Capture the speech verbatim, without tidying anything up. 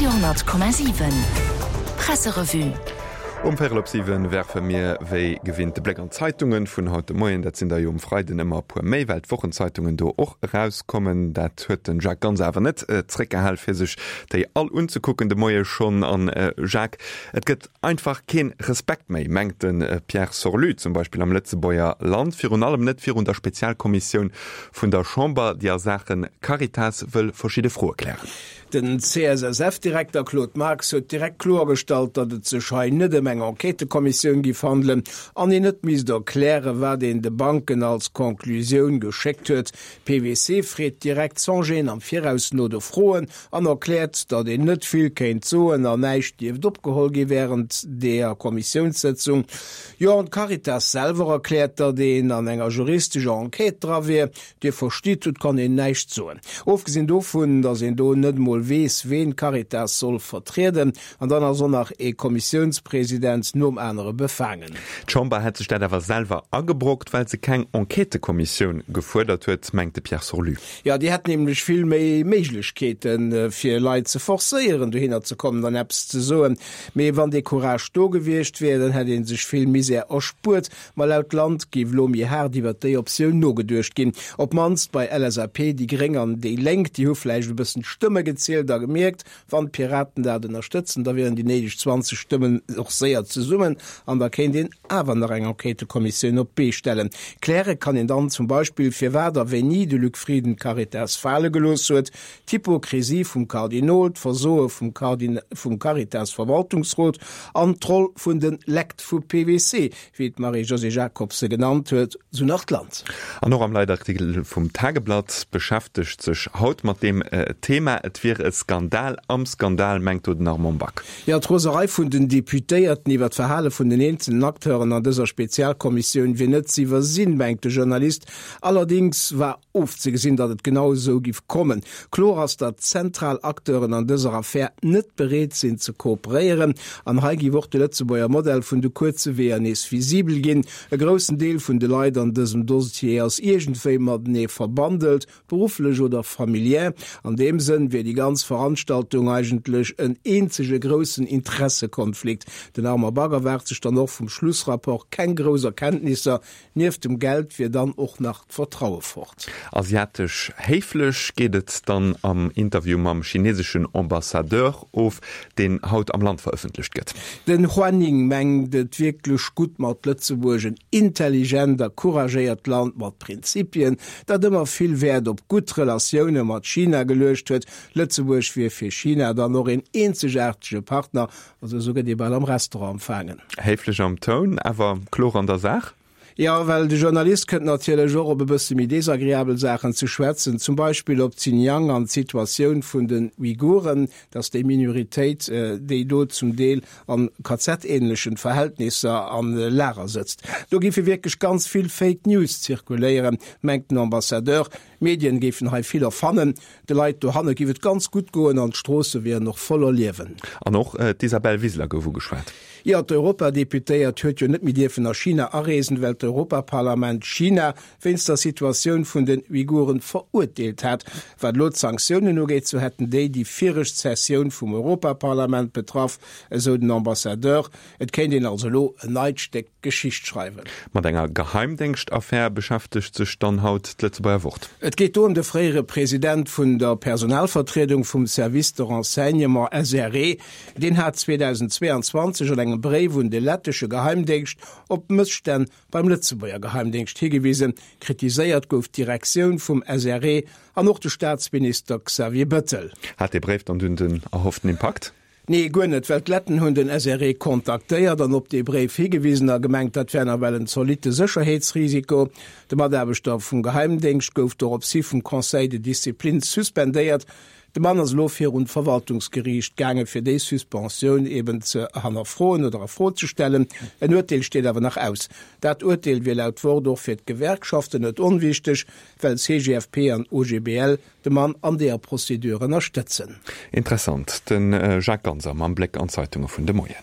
Radio honnert Komma siwen Presserevue. Um Véierel op siwen werfe mir wéi gewinnt de Bléck an d'Zeitungen vun haut de Moien. Dat sinn der jo um Freiden ëmmer e puer méi, well d'Wochenzeitungen do och erauskommen. Dat huet den Jacques Ganz awer net zréckgehal, fir sech déi all unzekucken de Moie schonn. An Jacques, et gëtt einfach keen Respekt méi, mengt de Pierre Sorlu zum Beispill am Lëtzebuerger Land, virun allem net virun der Spezialkommissioun vun der Chamber, déi a Saache Caritas wëll verschidde Froe klären. Den C S S F-Direkter Claude Marx huet direkt kloergestallt, datt et sech hei net ëm eng Enquêtëkommissioun giff handelen an een net misst erklären, wat een de Banken als Conclusioun geschéckt huet. P W C freet direkt sans gêne am Viraus no de Froen an erkläert, datt een net vill kéint soen an näischt dierft opgeholl gi wärend der Kommissiounssëtzung. Jo, an d'Caritas selwer erkläert, datt een an enger juristescher Enquête dra wier. Dir verstitt, et kann een näischt soen. Ofgesinn dovun, datt een do net emol weess, ween d'Caritas soll vertrieden, an dann ass och nach ee Kommissiounspresident nom anere befaangen. D'Chamber hätt sech dat awer selwer agebrockt, well se keng Enquêtëkommissioun gefuerdert huet, mengt de Pierre Sorlu. Jo, déi hätt nämlech vill méi Méiglechkeeten, fir Leit ze forcéieren, dohinner ze kommen an eppes ze soen. Mee wann dee Courage do gewiescht wier, dann hätt ee sech vill Misär erspuert. Ma laut Land géif elo méi haart iwwer déi Optioun nogeduecht ginn. Op d'mannst bei L S A P, déi Gréng an déi Lénk, déi hu vläicht e bëssen d'Stëmme gezielt a gemierkt, wann d'Piraten dat ënnerstëtzen, da wieren déi néideg zwanzeg Stëmmen och séier zesummen an da kéint een awer nach eng Enquêtëkommissioun op d'Bee stellen. Kläre kann een dann zum Beispill, firwat a wéini de Luc Frieden d'Caritas fale gelooss huet, d'Hypokrisie vum Kardinol, d'Versoe vum vum Caritas-Verwaltungsrot an d'Roll vun de Lekt vu P W C, wéi d'Marie-Josée Jacobs se genannt huet, sou nach d'Land. An och am Leitartikel vum Tageblatt beschäftegt sech haut mat deem Thema. Et wier e Skandal am Skandal, mengt do den Armand Back. Jo, d'Roserei vun den Deputéierten iwwer d'Verhale vun den eenzelen Acteuren an dëser Spezialkommissioun wier net ze iwwersinn, mengt de Journalist. Allerdéngs war ofzegesinn, datt et genau esou giff kommen. Kloer ass, datt zentral Acteuren an dëser Affär net bereet sinn ze kooperéieren. An hei giff och de Lëtzebuerger Modell vun de kuerze Weeër nees visibel ginn. E groussen Deel vun de Leit an dësem Dossier ass iergendwéi matenee verbandelt, berufflech oder familiär. An deem Sënn wier déi ganz Veranstaltung eigentlech en eenzege groussen Interessekonflikt. Den Armand Back erwaart sech dann och vum Schlussrapport keng grouss Erkenntnisser. Nieft dem Geld wier dann och nach d'Vertraue fort. Asiatesch héiflech geet et dann am Interview mam chineseschen Ambassadeur of, deen haut am Land verëffentlecht gëtt. Den Hua Ning mengt et wierklech gutt mat Lëtzebuerg, en intelligent a couragéiert Land mat Prinzipien, dat ëmmer vill Wäert op gutt Relatioune mat China geluecht huet. Lëtzebuerg wier fir China dann och een eenzegaartege Partner, also esou gëtt ee bal am Restaurant empfaangen. Héiflech am Toun, awer kloer an der Saach. Jo, well de Journalist kënnt natierlech och op e bësse méi desagreabel Saachen ze schwätzen, zum Beispill op Xinjiang an d'Situatioun vun den Uiguren, dass déi Minoritéit, déi do zum Deel an K Z-ähnlechen Verhältnisser an Lager sëtzt. Do géife wierklech ganz vill Fake News zirkuléieren, mengt den Ambassadeur. D'Medien géifen hei vill erfannen, de Leit dohanne géif et ganz gutt goen an d'Stroosse wieren och voller Liewen. An och d'Isabel Wiseler gouf ugeschwat. Jo, d'Europadeputéiert huet jo net méi dierfen a China areesen, well d'Europaparlament China wéinst der Situatioun vun den Uiguren verurteelt hat. Wat elo d'Sanktiounen ugeet, sou hätten déi déi viregt Sessioun vum Europaparlament betraff, esou den Ambassadeur. Et kéint een also elo en neit Stéck Geschicht schreiwen. Mat enger Geheimdéngschtaffär beschäftegt sech dann haut d'Lëtzebuerger Wort. Et geet do ëm de fréiere President vun der Personalvertriedung vum Service de renseignement S R E. Deen hat zweedausendzweeanzwanzeg an engem Bréif un de lettesche Geheimdéngscht op Mësstänn beim Lëtzebuerger Geheimdéngscht higewisen. Kritiséiert gouf d'Direktioun vum S R E an och de Staatsminister Xavier Bettel. Hat dee Bréif dann dunn den erhofften Impakt? Nee, guer net, well d'Letten hunn den S R E kontaktéiert an op dee Bréif higewisen a gemengt, dat wär nawell en zolitte Sécherheetsrisiko. De Mataarbechter vum Geheimdéngscht gouf doropshi vum Conseil de discipline suspendéiert. De Mann ass elo virun d'Verwaltungsgeriicht gaangen, fir déi Suspensioun eben ze hannerfroen oder a Fro ze stellen. En Urteel steet awer nach aus. Dat Urteel wier laut Wort och fir d'Gewerkschaften net onwichteg, well C G F P an O G B L de Mann an deeër Procédure ënnerstëtzen. Interessant, de Jacques Ganser mam Bléck an d'Zeitunge vun de Moien.